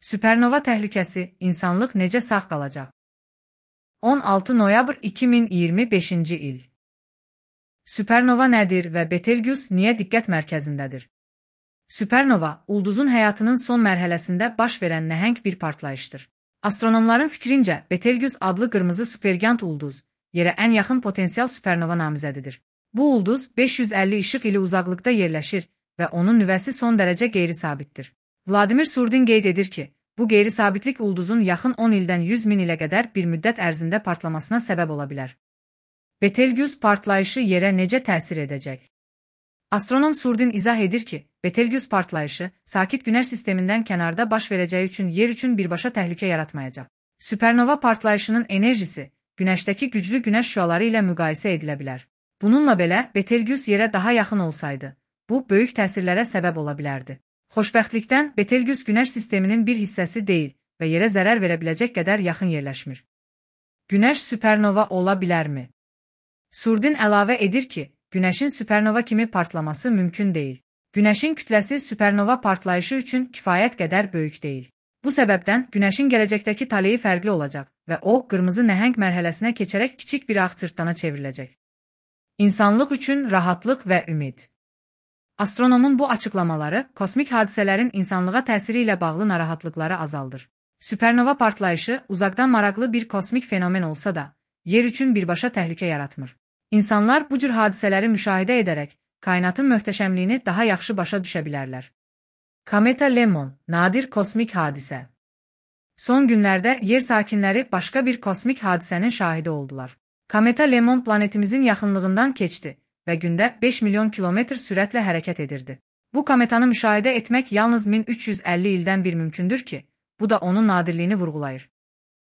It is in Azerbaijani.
Süpernova təhlükəsi, insanlıq necə sağ qalacaq? 16 noyabr 2025-ci il. Süpernova nədir və Betelgeuse niyə diqqət mərkəzindədir? Süpernova, ulduzun həyatının son mərhələsində baş verən nəhəng bir partlayışdır. Astronomların fikrincə, Betelgeuse adlı qırmızı supergigant ulduz, yerə ən yaxın potensial süpernova namizədidir. Bu ulduz 550 işıq ili uzaqlıqda yerləşir və onun nüvəsi son dərəcə qeyri-sabitdir. Vladimir Surdin qeyd edir ki, bu qeyri-sabitlik ulduzun yaxın 10 ildən 100 min ilə qədər bir müddət ərzində partlamasına səbəb ola bilər. Betelgeuse partlayışı yerə necə təsir edəcək? Astronom Surdin izah edir ki, Betelgeuse partlayışı sakit Günəş sistemindən kənarda baş verəcəyi üçün yer üçün birbaşa təhlükə yaratmayacaq. Süpernova partlayışının enerjisi Günəşdəki güclü Günəş şüaları ilə müqayisə edilə bilər. Bununla belə, Betelgeuse yerə daha yaxın olsaydı, bu böyük təsirlərə səbəb ola bilərdi. Xoşbəxtlikdən, Betelgeuse Günəş sisteminin bir hissəsi deyil və yerə zərər verə biləcək qədər yaxın yerləşmir. Günəş süpernova ola bilərmi? Surdin əlavə edir ki, Günəşin süpernova kimi partlaması mümkün deyil. Günəşin kütləsi süpernova partlayışı üçün kifayət qədər böyük deyil. Bu səbəbdən Günəşin gələcəkdəki taleyi fərqli olacaq və o, qırmızı nəhəng mərhələsinə keçərək kiçik bir ağ cırtdana çevriləcək. İnsanlıq üçün rahatlıq və ümid. Astronomun bu açıqlamaları kosmik hadisələrin insanlığa təsiri ilə bağlı narahatlıqları azaldır. Süpernova partlayışı uzaqdan maraqlı bir kosmik fenomen olsa da, yer üçün birbaşa təhlükə yaratmır. İnsanlar bu cür hadisələri müşahidə edərək, kainatın möhtəşəmliyini daha yaxşı başa düşə bilərlər. Kometa Lemon, nadir kosmik hadisə. Son günlərdə yer sakinləri başqa bir kosmik hadisənin şahidi oldular. Kometa Lemon planetimizin yaxınlığından keçdi və gündə 5 milyon kilometr sürətlə hərəkət edirdi. Bu kometanı müşahidə etmək yalnız 1350 ildən bir mümkündür ki, bu da onun nadirliyini vurğulayır.